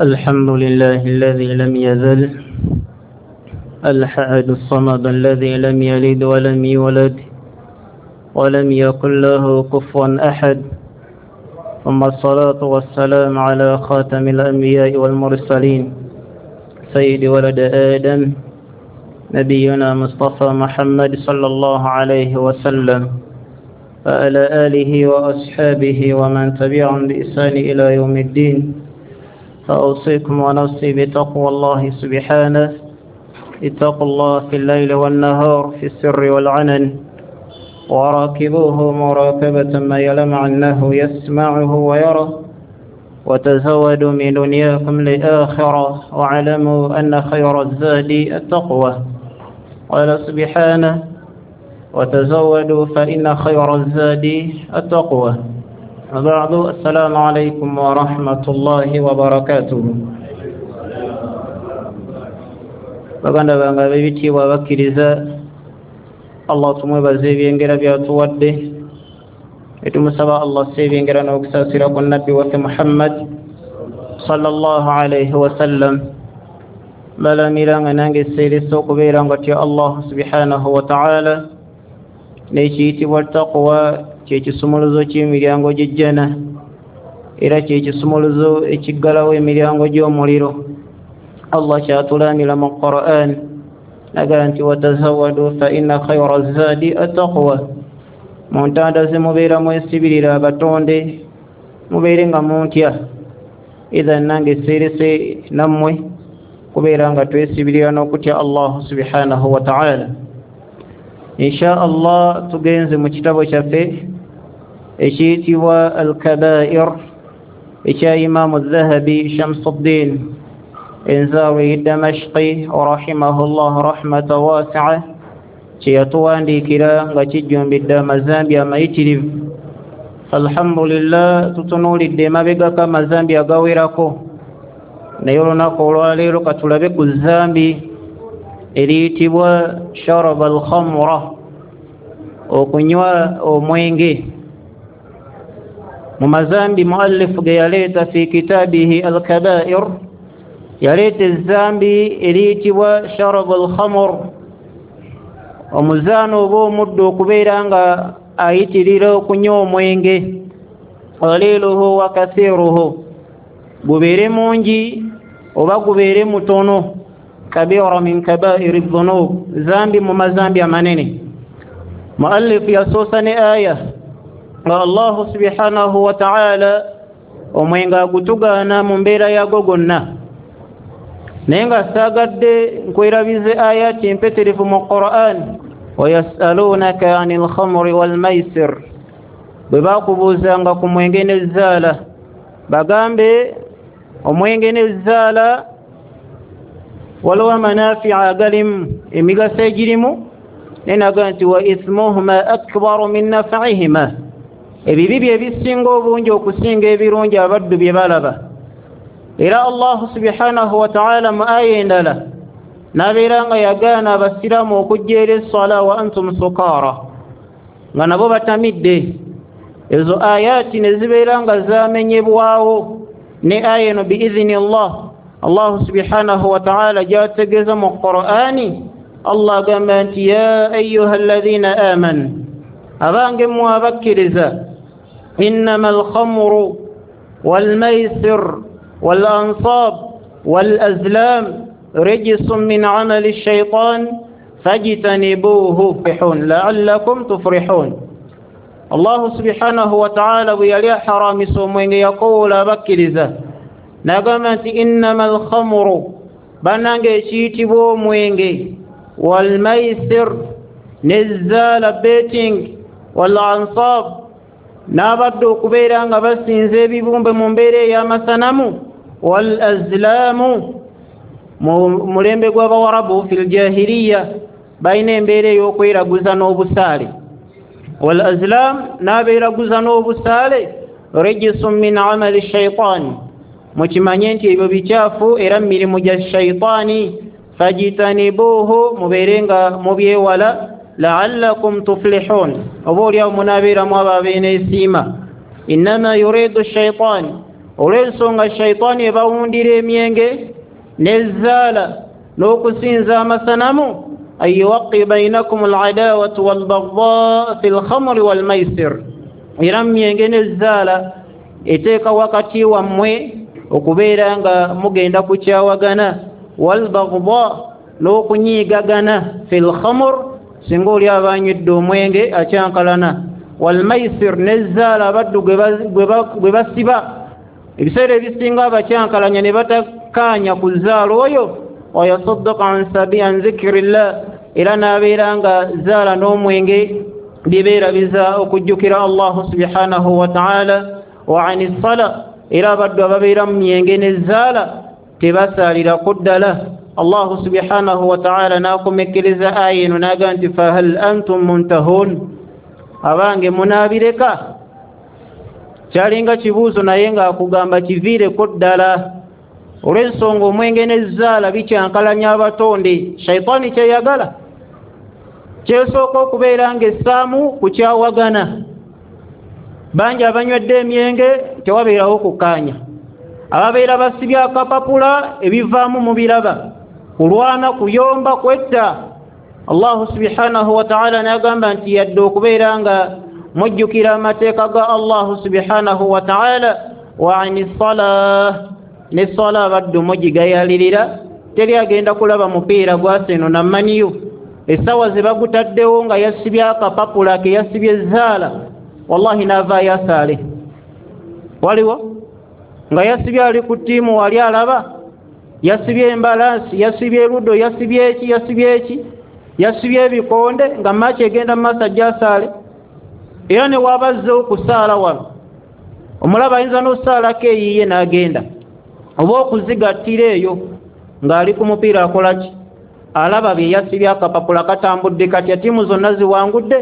الحمد لله الذي لم يزل الحد الصمد الذي لم يلد ولم يولد ولم يكن له كفوا أحد، ثم الصلاة والسلام على خاتم الأنبياء والمرسلين سيد ولد آدم نبينا مصطفى محمد صلى الله عليه وسلم وعلى آله وأصحابه ومن تبعهم بإحسان إلى يوم الدين. فأوصيكم ونفسي بتقوى الله سبحانه. اتقوا الله في الليل والنهار، في السر والعلن، وراقبوه مراقبة ما يعلم أنه يسمعه ويره، وتزودوا من دنياكم لآخرة، واعلموا أن خير الزاد التقوى. قال سبحانه: وتزودوا فإن خير الزاد التقوى. وبعد، السلام عليكم ورحمة الله وبركاته. Baganda bange ab'ebitiibwa abakkiriza, Allah tumwebaza ebyengera byatuwadde, etumusaba Allah si ebyengera n'okusaasira ku nabbi waffe Muhammad sallallahu alaihi wasallam. Balamira nga nange seeresa okubeera nga tya Allah subhanahu wa ta'ala, n'ekiyitibwa taqwa kyekisumuluzo ky'emiryango gy'ejjana, era kyekisumuluzo ekiggalawo emiryango gy'omuliro. Allah kyatulamira mu Qur'an nagaa nti watazawadu fa inna khayra zaadi attaqwa. Mu ntanda ze mubeera mwesibirira abatonde, mubeere nga muntya. Idhan nange seerese nammwe kubeera nga twesibirira n'okutya Allah subhanahu wa ta'ala. Insha Allah tugenze mu kitabo kyaffe ekiyitibwa Al-Kabair ekya Imamu Dhahabi Shamsuddin Enzawi Damashqi rahimahullah rahmatan wasi'a, kye yatuwandiikira nga kijjumbidde amazambi amayitirivu. Alhamdulillah, tutunuulidde emabegako amazambi agawerako, naye olunaku olwaleero katulabe ku zambi eriyitibwa sharaba al-khamra, okunywa omwenge. Mu mazambi muallifu ge yaleeta fi kitabihi Al-Kabair, yaleeta ezambi eriyitibwa sharaba al-khamr, omuzaano oba omuddu okubeera nga ayitirira okunywa omwenge, qaliluhu wa kathiruhu, gubeere mungi oba gubeere mutono, kabira min kabairi dhunub, zambi mu mazambi amanene. Muallifu yasoosa ne aya nga Allah subhanahu wa ta'ala omwenge agutugaana mu mbeera yagwo gonna, naye nga saagadde nkwerabize ayati empeterevu mu Qur'an: wayasalunaka anil khamri wal maisir, bwe bakubuuzanga ku mwenge n'ezzaala, bagambe omwenge n'ezzaala waliwo amanafia agalimu, emigaso egirimu, naye naga nti wa ithmuhuma akbaru min naf'ihima, ebibi bye bisinga obungi okusinga ebirungi abaddu bye balaba. Era Allah subhanahu wa ta'ala mu aya endala n'abeera nga yagaana abasiraamu okujja eri esswala wa antum sukaara, nga nabo batamidde. Ezo ayati ne zibeera nga zamenyebwawo ne aya eno biidhini Allah. Allah subhanahu wa ta'ala gy'ategeeza mu Qur'ani, Allah agamba nti ya ayyuha alladhina amanu, abange mmwe abakkiriza, innama alkhamru walmaisir walansab walazlam rijsun min amali shaitan fajtanibuhu la'allakum tuflihun. Allah subhanahu wa ta'ala bwe yali aharamisa omwenge yakowoola abakkiriza n'agamba nti innama alkhamru, bannange ekiyitibwa omwenge, walmaisir n'ezzaala betting, wal ansab, n'abadde okubeera nga basinza ebibumbe mu mbeera ey'amasanamu, wal azlaamu, mu mulembe gw'abawarabu fil jahiliya balina embeera ey'okweraguza n'obusaale, wal azlam, n'abeeraguza n'obusaale, rijisun min amali shaitaani, mukimanye nti ebyo bikyafu era mu mirimu gya shaitaani, fajitanibuuhu, mubeere nga mubyewala, la'allakum tuflihun, oba oliawo munaabeeramu abo abeeneesiima. Innama yuridu shaitaani, Olw'ensonga shaitaani ebawundira emyenge n'ezzaala n'okusinza amasanamu, an yuwaqi bainakum aladawatu walbagdaa fi lkhamri walmaisir. Era myenge n'ezzaala eteeka wakati wammwe okubeera nga mugenda kukyawagana, walbagdaa n'okunyiigagana, fi lkhamr singa oli aba anywedde omwenge akyankalana, walmaisir n'ezzaala abaddu gwe basiba. Ebiseera ebisinga abakyankalanya ne batakkaanya ku zaala oyo, wayasaddaqa an zikirillah, era n'abeera nga zaala n'omwenge bibeerabiza okujjukira Allahu subhanahu wa ta'ala. Wa ani sala, era abaddu ababeera mu myenge n'ezzaala tebasaalirako ddala. Allahu subhanahu wa ta'ala n'akomekereza aya eno n'agamba nti fahal antum muntahun, abange munaabireka? Kyalinga kibuuzo naye ng'akugamba kiviireko ddala. Olw'ensonga omwenge n'ezzaala bikyankalanya abatonde. Shaitaani kyeyagala kyesooka okubeera ng'essaamu kukyawagana. Bangi abanywedde emyenge tewabeerawo kukkaanya, ababeera basibye akapapula ebivaamu mubiraba, kulwana, kuyomba, kwetta. Allahu subhanahu wa ta'ala n'agamba nti yadde okubeera nga mujjukira amateeka ga Allahu subhanahu wa ta'ala, wa ani salah, ne swala abaddu mugigayalirira. Teri agenda kulaba mupiira gwaseno na maniyu, essaawa ze bagutaddewo nga yasibye akapapula ke yasibye ezzaala, wallahi n'avaayo asaale. Waliwo nga yasibye ali ku ttiimu wali alaba, yasibye embalansi, yasibye ludo, yasibye eki, yasibye eki, yasibye ebikonde, nga maaki egenda mu maaso ajja asaale. Era ne wabazze okusaala wano omulaba ayinza n'osaalako eyiye n'agenda, oba okuzigattira eyo ng'ali ku mupiira akola ki? Alaba bye yasibye akapapula katambudde katya, ttiimu zonna ziwangudde.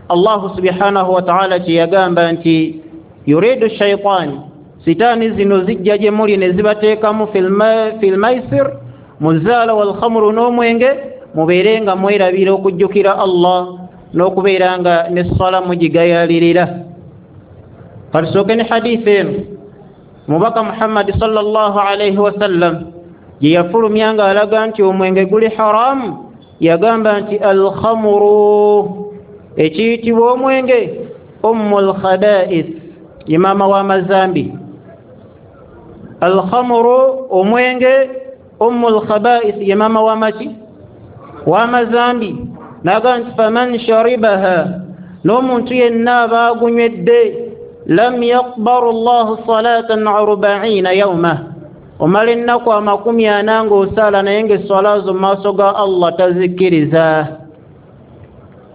Allahu subhanahu wa ta'ala kye yagamba nti yuridu shaitaani, sitaani zino zijja gye muli ne zibateekamu fil maisir, mu zaala walkhamru n'omwenge, mubeere nga mwerabira okujjukira Allah n'okubeera nga ne swala mugigayalirira. Katusooke ne hadithi eno Mubaka Muhammad sallallahu alaihi wasallam gye yafulumya ng'alaga nti omwenge guli haramu. Yagamba nti alkhamuru, ekiyitibwa omwenge, ummul khaba'ith, ye maama w'amazambi. Alkhamuru, omwenge, ummul khaba'ith, ye maama w'amaki? W'amazambi. N'agamba nti faman sharibaha, n'omuntu yenna aba agunywedde, lam yaqbalu Allahu salatan 40 yawma, omala ennaku 40 ng'osaala naye ng'esswala zo mu maaso ga Allah tazikkiriza.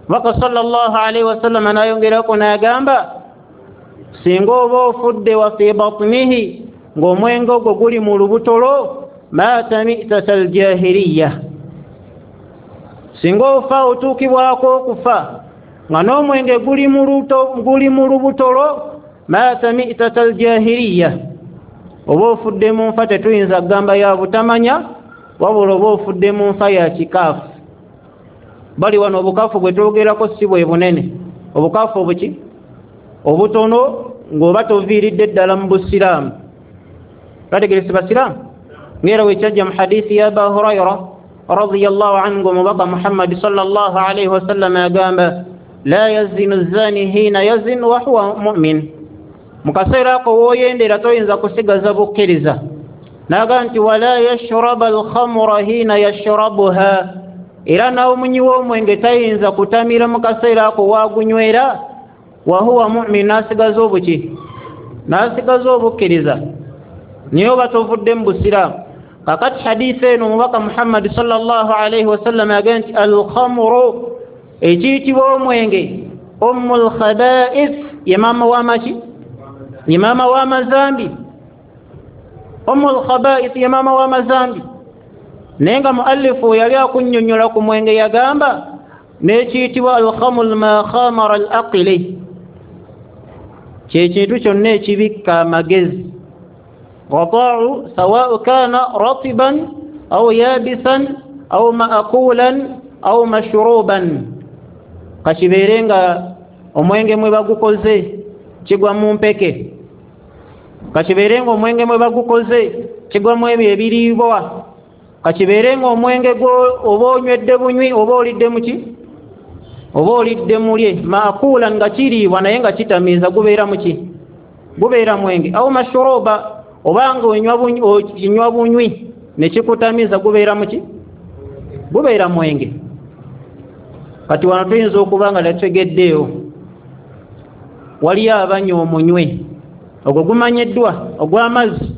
Mubaka sallallahu alaihi wasallam n'ayongerako n'agamba singa oba ofudde wa fi batnihi, ng'omwenge ogwo guli mu lubuto lwo, maata mitata aljahiliya, singa ofa otuukibwako okufa nga n'omwenge guli mu lubuto lwo, maata mitata aljahiliya, oba ofudde mu nfa tetuyinza kugamba ya butamanya, wabula oba ofudde mu nfa ya kikaafu. Bali wano obukaafu bwe twogerako si bwe bunene, obukaafu obuki obutono ng'oba toviiridde ddala mu busiraamu. Bategerese basiraamu ng'era wekyajja mu hadithi ya Aba Hurayra radiyallahu anhu, omubaka Muhammad sallallahu alaihi wasallam agamba la yazinu zani hina yazin wa huwa mu'min, mu kaseera ako w'oyendera toyinza kusigaza bukkiriza. N'agamba nti wala yashraba alkhamra hina yashrabuha, era n'omunywi w'omwenge tayinza kutamira mu kaseera ako waagunywera, wa huwa mu'min, n'asigaza obuki? N'asigaza obukkiriza, naye oba tovudde mu busiraamu. Kakati hadithi eno omubaka Muhammad sallallahu alaihi wasallam agamba nti alkhamru, ekiyitibwa omwenge, ummul khaba'ith, ye maama w'amaki? Ye maama w'amazambi. Ummul khaba'ith ye maama w'amazambi. Naye nga muallifu yali akunnyonnyola ku mwenge yagamba n'ekiyitibwa alkhamru ma khamara al aqli, kyekintu kyonna ekibikka amagezi, ghata'u sawa'u kana ratiban aw yabisan aw ma'kulan aw mashruban, kakibeere nga omwenge mwe bagukoze kigwa mu mpeke, Kakibeere nga omwenge mwe bagukoze kigwamu ebyo ebiriibwa, kakibeere nga omwenge gwo oba onywedde bunywi oba olidde muki oba olidde mulye, maakulan nga kiriibwa naye nga kitamiiza, gubeera muki? Gubeera mwenge. Au mashuruba, obanga onywa bunywi nekikutamiiza, gubeera muki? Gubeera mwenge. Kati wano tuyinza okuba nga tetutegeddeewo, waliyo abanywa omunywe ogwo gumanyiddwa ogw'amazzi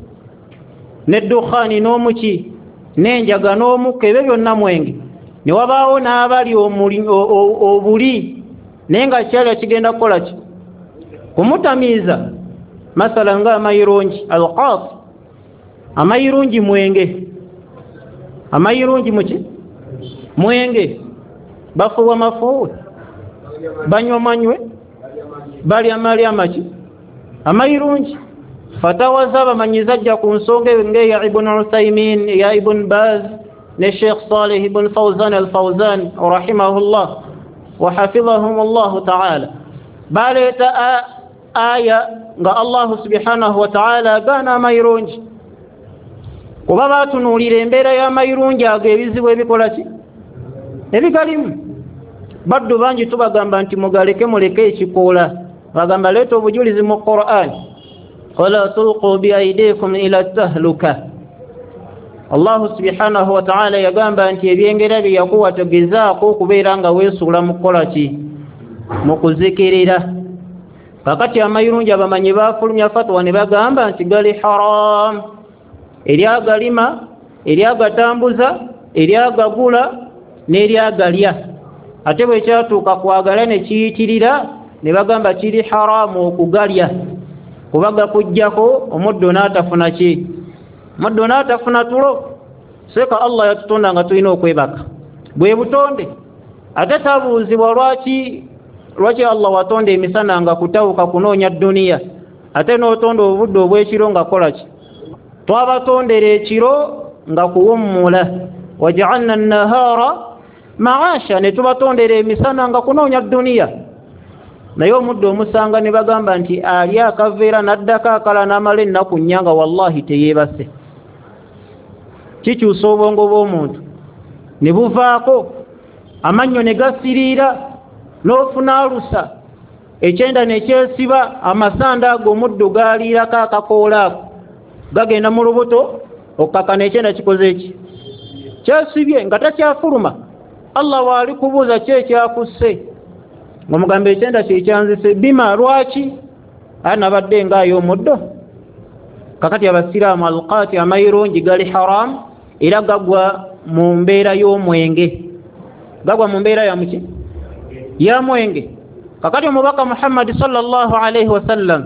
n'eddukhaani n'omuki n'enjaga n'omukka, ebyo byonna mwenge. Ne wabaawo n'abali obuli naye nga kyalya kigenda kukola ki? Kumutamiiza. Masala nga amayirungi alqat, amayirungi mwenge, amayirungi muki? Mwenge. Bafuuwa mafuuwe, banywa manywe, balya malya amaki? Amayirungi. Fatawa z'abamanyi zajja ku nsonga eyo ng'eya Ibn Uthaymin, eya Ibn Baz ne Sheikh Saleh ibn Fawzan al-Fawzan rahimahullah wa hafidhahum Allahu ta'ala. Baleeta aya nga Allahu subhanahu wa ta'ala agaana amayirungi, kuba batunuulira embeera y'amayirungi ago ebizibu ebikola ki? Ebigalimu. Baddu bangi tubagamba nti mugaleke, muleke ekikoola, bagamba leeta obujulizi mu Qur'an, wala tulqu biaidikum ila tahluka. Allahu subhanahu wa ta'ala yagamba nti ebyengera bye yakuwa togezaako okubeera nga weesuula mu kukola ki? Mu kuzikirira. Kakati amayirungi abamanyi bafulumya fatwa ne bagamba nti gali haram, eri agalima, eri agatambuza, eri agagula n'eri agalya. Ate bwe kyatuuka kwagala ne kiyitirira ne bagamba kiri haramu okugalya, kuba gakuggyako omuddo n'atafuna ki? Omuddo n'atafuna tulo. Seeka Allah yatutonda nga tulina okwebaka, bwe butonde. Ate tabuuzibwa lwaki Allah watonda emisana nga kutawuka kunoonya dduniya, ate n'otonda obudde obw'ekiro nga kola ki? Twabatondera ekiro nga kuwummula, wajaalna nahara maasha, ne tubatondera emisana nga kunoonya dduniya. Naye omuddo omusanga ne bagamba nti ali akaveera n'addako akala n'amala ennaku nnya nga wallahi teyeebase. Kikyusa obwongo bw'omuntu ne buvaako amannyo ne gasiriira, n'ofuna alusa, ekyenda ne kyesiba, amasanda ago omuddo gaaliirako akakoola ako gagenda mu lubuto okukakana ekyenda kikoze eki? Kyesibye nga takyafuluma. Allah waali kubuuza ki ekyakusse, ng'omugamba ekyenda kyekyanzise. Bima, lwaki? Aya nabadde ngaayo omuddo. Kakati abasiraamu alqaati amayirungi gali haram, era gagwa mu mbeera y'omwenge, gagwa mu mbeera ya muki? Ya mwenge. Kakati omubaka Muhammadi sallallahu alaihi wasallam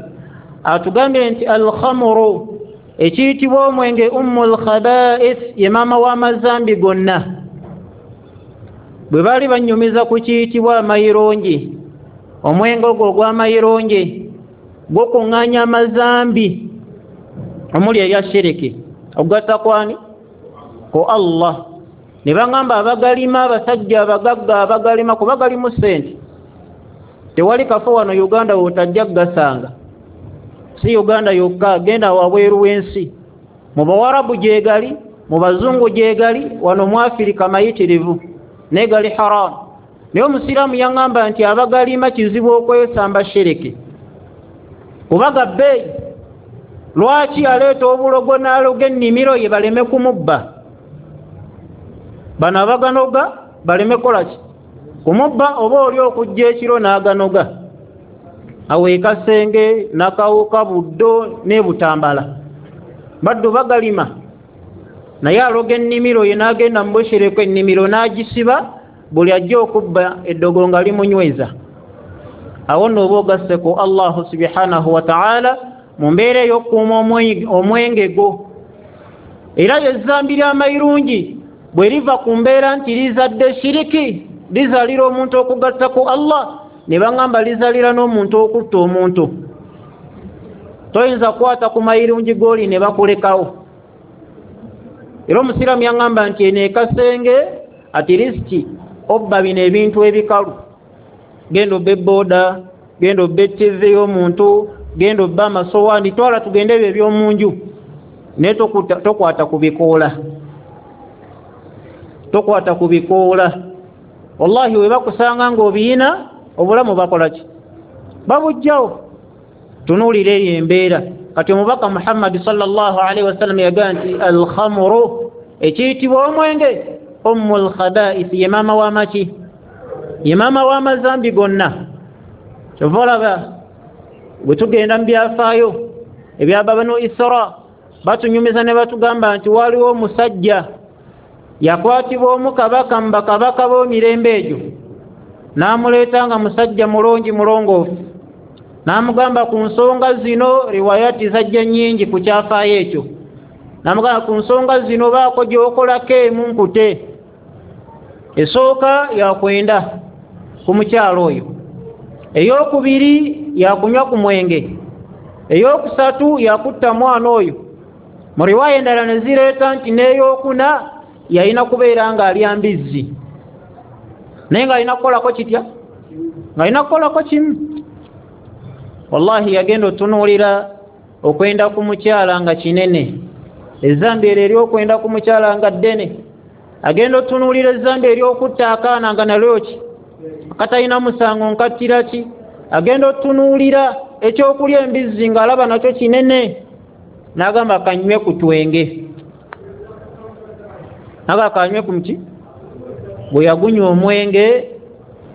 atugambye nti alkhamuru, ekiyitibwa omwenge, ummul khaba'ith, ye maama w'amazambi gonna. Bwe baali banyumiza ku kiyitibwa amayirungi, omwenge ogwo ogw'amayirungi gukuŋŋaanya amazambi omuli erya shiriki, okugatta kwani? Ku Allah. Ne baŋŋamba abagalima, abasajja abagagga abagalima, kuba galimu ssente. Tewali kafo wano Uganda w'otajja kugasanga, si Uganda yokka, genda wabweru w'ensi, mu Bawarabu gyegali, mu Bazungu gyegali, wano mu Afirika mayitirivu, naye gali haramu. Naye omusiraamu yaŋŋamba nti abagalima kizibu okwesamba shiriki, kuba ga bbeeyi. Lwaki aleeta obulogo n'aloga ennimiro ye baleme kumubba? Bano abaganoga baleme kukola ki? Kumubba. Oba oli okujja ekiro n'aganoga awo ekasenge nakawuka buddo n'ebutambala, baddu bagalima, naye aloga ennimiro ye n'agenda mu bushereko ennimiro n'agisiba, buli ajja okubba eddogo nga limunyweza. Awo nno oba ogasse ku Allahu subhanahu wa ta'ala mu mbeera ey'okukuuma omwenge gwo. Era ezzambi ly'amayirungi bwe liva ku mbeera nti lizadde shiriki, lizaalira omuntu okugatta ku Allah, ne baŋŋamba lizaalira n'omuntu okutta omuntu. Toyinza kukwata ku mayirungi g'oli ne bakulekawo. Era omusiraamu yaŋŋamba nti eno ekasenge at least obba bino ebintu ebikalu, genda obba ebooda, genda obba etv y'omuntu, Genda obba amasowaani, twala tugende ebyo ebyomunju, naye tokwata ku bikoola, tokwata ku bikoola. Wallahi we bakusanga ng'obiyina obulamu bakola ki? Babujjawo. Tunuulira eyo embeera. Kati omubaka Muhammadi sallallahu alaihi wasallam yagamba nti alkhamuru, ekiyitibwa omwenge, ummu lkhabaisi, ye maama w'amaki, ye maama w'amazambi gonna. Kyova olaba bwe tugenda mu byafaayo ebya Banu Isra, batunyumiza ne batugamba nti waliwo omusajja yakwatibwa omu kabaka mu bakabaka b'emirembe egyo, n'amuleeta nga musajja mulungi mulongoofu, n'amugamba ku nsonga zino, riwayati zajja nnyingi ku kyafaayo ekyo, n'amugamba ku nsonga zino baako gy'okolako emu nkute. Esooka yakwenda ku mukyalo oyo, eyokubiri yakunywa ku mwenge, eyokusatu yakutta mwana oyo. Mu riwaya endala ne zireeta nti n'eyokuna yalina kubeera ng'alya mbizzi, naye ng'alina kukolako kitya? Ng'alina kukolako kimu. Wallahi yagenda otunuulira okwenda ku mukyala nga kinene, ezambi eryo ery'okwenda ku mukyala nga ddene. Agenda otunuulira ezambi ery'okutta akaana nga nalyo ki? Katalina musango, nkattira ki? Agenda otunuulira ekyokulya embizzi ng'alaba nakyo kinene, n'agamba kanywe ku twenge, naga kanywe ku muki. Bwe yagunywa omwenge,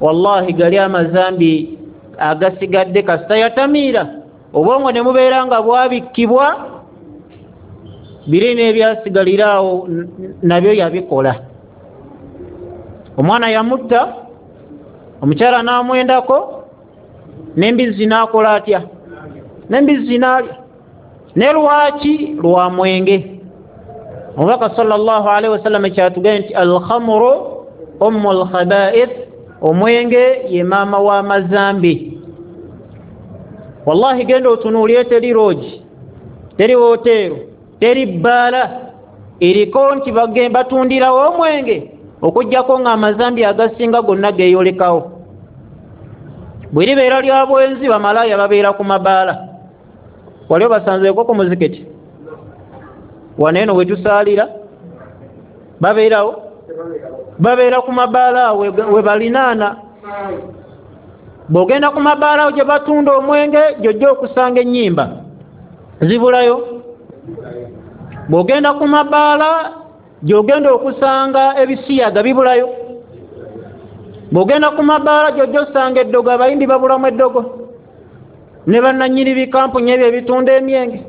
wallahi gali amazambi agasigadde kasita yatamiira, obwongo ne mubeera nga bwabikkibwa, biri n'ebyasigaliraawo nabyo yabikola. Omwana yamutta, omukyala n'amwendako, n'embizzi n'akola atya? N'embizzi n'alya. Ne lwaki? Lwa mwenge. Omubaka sallallahu alaihi wasallam kyatugambye nti alkhamuru ummu lkhabaith, omwenge ye maama w'amazambi. Wallahi genda otunuulire, teri loogi, teri woteero, teri bbaala eriko nti batundirawo omwenge, okuggyako ng'amazambi agasinga gonna geeyolekawo. Bwe libeera lya bwenzi, bamalaaya babeera ku mabaala. Wali obasanzeeko ku muzikiti wano eno we tusaalira? Babeerawo, babeera ku mabaala awo we balinaana. Bw'ogenda ku mabaala awo gye batunda omwenge, gy'ojja okusanga ennyimba zibulayo. Bw'ogenda ku mabaala gy'ogenda okusanga ebisiyaga bibulayo. Bw'ogenda ku mabaala gy'ojja osanga eddogo, abayimbi babulamu eddogo, ne bannannyini bikampuni ebyo ebitunda emyenge.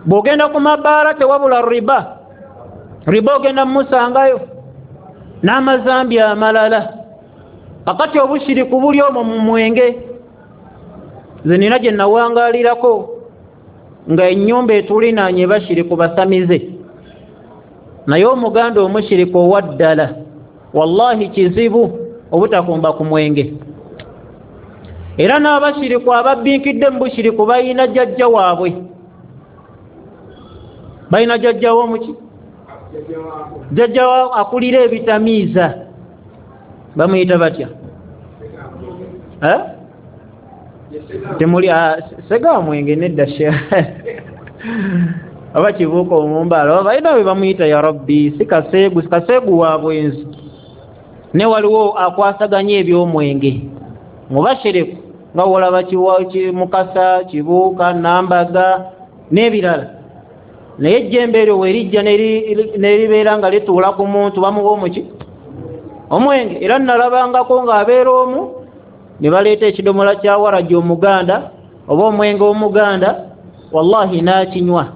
Bw'ogenda ku mabaala tewabula riba, riba ogenda mumusangayo n'amazambi amalala. Kakati obushiriku buli omwo mu mwenge. Nze nina gye nawangaalirako nga ennyumba etulinaanye bashiriku basamize, naye omuganda omushiriku owa ddala wallahi kizibu obutakumba ku mwenge. Era n'abashiriku ababbinkidde mu bushiriku balina jjajja waabwe, balina jjajja w'omuki, jjajja akulira ebitamiiza, bamuyita batya? Temuli sega mwenge nedda aba kibuuka omumbaala balina bwe bamuyita, ya Rabbi, si kaseegu, si kaseegu wa bwenzi. Ne waliwo akwasaganya eby'omwenge mubashiriku nga wolaba Mukasa, Kibuuka, Nambaga n'ebirala. Naye ejjembe eryo werijja neribeera nga lituula ku muntu, bamuwa omuki? Omwenge. Era nalabangako ng'abeera omu ne baleeta ekidomola kya waragi omuganda oba omwenge omuganda, wallahi n'akinywa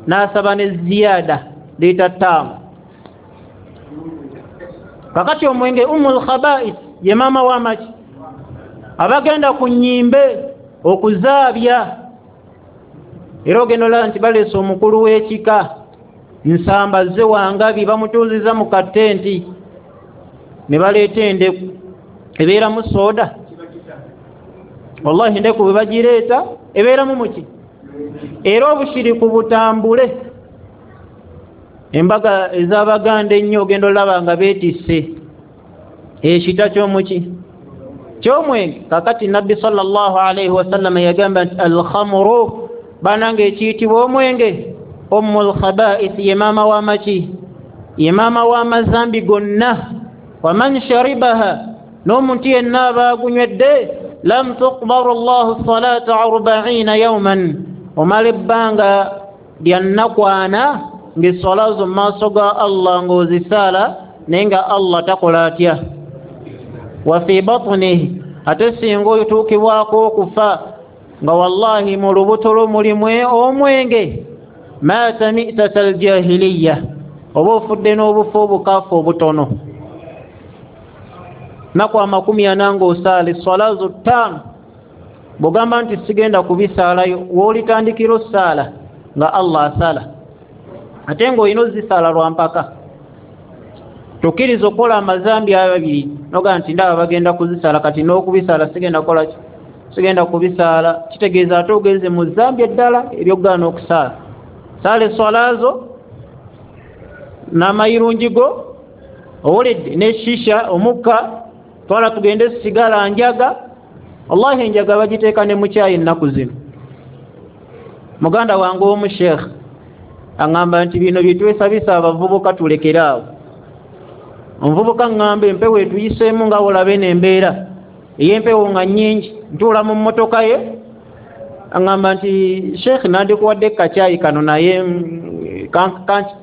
n'asaba ne ziyaada liita 5. Kakati omwenge umul khaba'ith ye maama w'amaki. Abagenda ku nnyimbe okuzaabya, era ogenda olaba nti baleese omukulu w'ekika Nsamba zze Wangabi, bamutuuziza mu katenti ne baleeta endeku ebeeramu sooda. Wallahi endeku bwe bagireeta ebeeramu muki? Era obushiriku butambule. Embaga ez'Abaganda ennyo ogenda olaba nga beetisse ekita ky'omuki, Kyomwenge. Kakati Nabbi sallallahu alaihi wasallama yagamba nti alkhamuru, banange ekiyitibwa omwenge, ummul khaba'ith, ye maama w'amaki, ye maama w'amazambi gonna. Waman sharibaha, n'omuntu yenna aba agunywedde, lam tuqbaru llahu salata 40 yawman, omala ebbanga lya nnaku ana ng'eswala zo mu maaso ga Allah ng'ozisaala, naye nga Allah takola atya. Wa fi batnihi, ate singa otuukibwako okufa nga wallahi mu lubuto lwo mulimu omwenge, maata mitata aljahiliya, oba ofudde n'obufu obukaafu obutono. Nnaku 40 ng'osaala eswala zo 5, bw'ogamba nti sigenda kubisaalayo, w'olitandikira ossaala nga Allah asala, ate ng'olina ozisaala lwa mpaka. Tokkiriza okukola amazambi ababiri noga nti ndaba bagenda kuzisaala, kati n'okubisaala sigenda kukola ki, sigenda kubisaala. Kitegeeza ate ogenze mu zambi eddala ery'okugaana okusaala. Saala eswala zo n'amayirungi go, owulidde, ne shisha omukka, twala tugende sigala njaga. Wallahi enjaga bagiteeka ne mu kyayi ennaku zino. Muganda wange omu sheekh aŋŋamba nti bino byetwesabisa abavubuka tulekere awo. Omuvubuka ŋŋamba empewo etuyiseemu nga wolaba eno embeera ey'empewo nga nnyingi, ntuula mu mmotoka ye, aŋŋamba nti sheekh nandikuwadde kacyayi kano, naye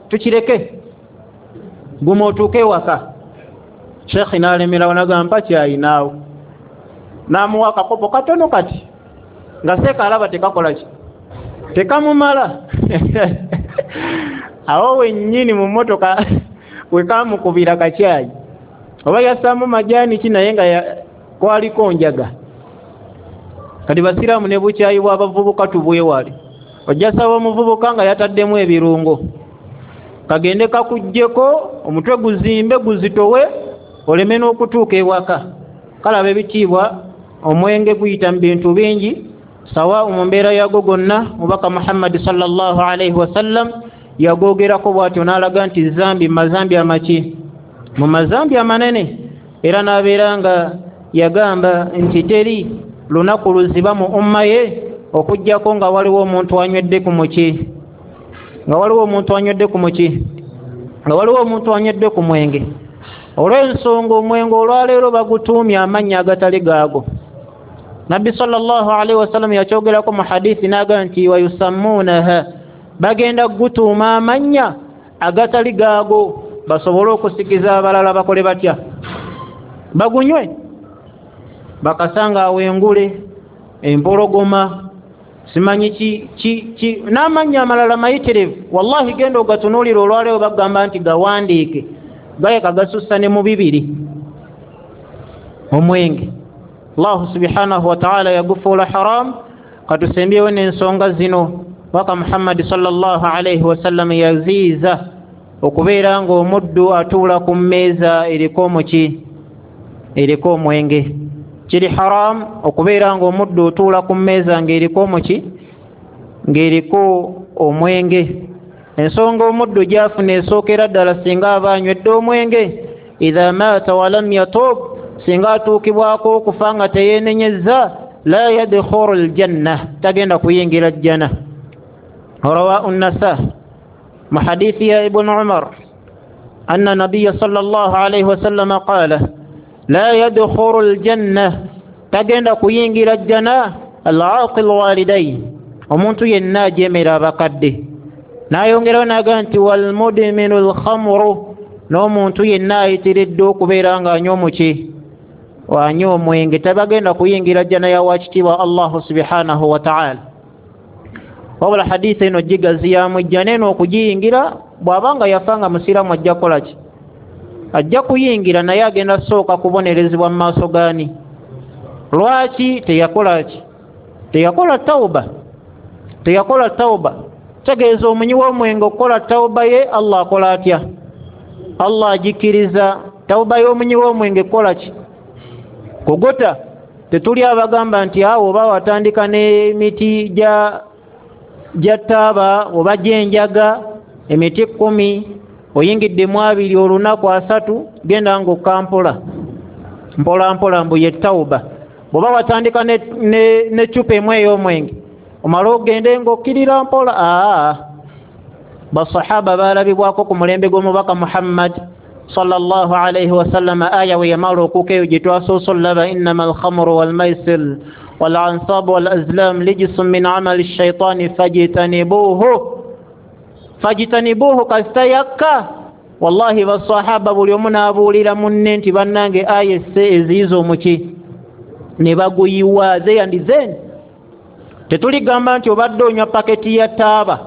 tukireke, guma otuuke ewaka. Sheekh n'alemerawo n'agamba mpa kyayi naawe, n'amuwa akakopo katono kati nga seeka alaba tekakola ki, tekamumala. Awo wennyini mu mmotoka wekamukubira kacyayi, oba yassaamu majaani ki, naye nga kwaliko njaga. Kati basiraamu ne bukyayi bw'abavubuka tubwewale. Ojja saba omuvubuka nga yataddemu ebirungo, kagende kakuggyeko omutwe guzimbe guzitowe, oleme n'okutuuka ewaka. Kalaba ebitiibwa, omwenge guyita mu bintu bingi, sawa mu mbeera yago gonna. Mubaka Muhammadi sallallahu alaihi wasallam yagoogerako bw'atyo n'alaga nti zambi mazambi amaki, mu mazambi amanene. Era n'abeera nga yagamba nti teri lunaku luziba mu umma ye okuggyako nga waliwo omuntu anywedde ku muki, nga waliwo omuntu anywedde ku muki, nga waliwo omuntu anywedde ku mwenge. Olw'ensonga omwenge olwaleero bagutuumye amannya agatali gaago. Nabbi sallallahu alaihi wasallam yakyogerako mu hadithi n'agamba nti wayusammuunaha, bagenda gutuuma amannya agatali gaago basobole okusikiza abalala bakole batya, bagunywe. Bakasanga awengule, empologoma, simanyi ki n'amannya amalala mayitirivu. Wallahi genda ogatunuulira olwaleero bagamba nti gawandiike, gayeka gasussa ne mu bibiri omwenge. Allahu subhanahu wa ta'ala yagufuula haram. Katusembyewo n'ensonga zino. Waka Muhammadi sallallahu alaihi wasallam yaziiza okubeera ng'omuddu atuula ku mmeeza eriko omuki, eriko omwenge. Kiri haram okubeera ng'omuddu otuula ku mmeeza ng'eriko omuki, ng'eriko omwenge. Ensonga omuddu gy'afuna esookera ddala singa aba anywedde omwenge, idha maata walam yatub, singa atuukibwako okufa nga teyeenenyezza, la yadkhulu aljanna, tagenda kuyingira jjana. Rawahu Nasa mu hadithi ya Ibn Umar anna nabiyya sallallahu alayhi wasallam qala la yadkhulu aljanna, tagenda kuyingira jjana al-aqil walidayn, omuntu yenna ajemera abakadde. N'ayongerawo n'agamba nti walmudminu alkhamru, n'omuntu yenna ayitiridde okubeera ng'anywa omuki, anywa omwenge, tabagenda kuyingira jjana ya wakitiibwa Allahu subhanahu wa ta'ala. Wabula hadithi eno gigaziyaamu ejjana eno okugiyingira, bw'aba nga yafa nga musiraamu ajja kukola ki? Ajja kuyingira, naye agenda sooka kubonerezebwa mu maaso gaani? Lwaki teyakola ki? Teyakola tawuba, teyakola tawuba. Tegeeza omunywi w'omwenge okukola tawuba ye, Allah akola atya? Allah agikkiriza. Tawuba y'omunywi w'omwenge kukola ki? Kugota. Tetuli abagamba nti awo oba watandika n'emiti gya taaba oba gy'enjaga, emiti 10, oyingiddemu 2 olunaku 3, genda ng'okampola. Mpola mpola mbu ye tawuba. Bw'oba watandika n'eccupa emu ey'omwenge, omale ogende ng'okkirira mpola. Aa, basahaba baalabibwako ku mulembe gw'omubaka Muhammad sallallahu alaihi wasallama, aya we yamala okuuka eyo gye twasoose olaba, innama alkhamru walmaisir walansabu walazlam lijisun min amali shaitani fajitanibuhu fajitanibuhu. Kasita yakka, wallahi basahaba buli omu n'abuulira munne nti bannange aya esse eziyiza omuki, ne baguyiwa zeyandizeni. Tetuligamba nti obadde onywa paketi ya taaba,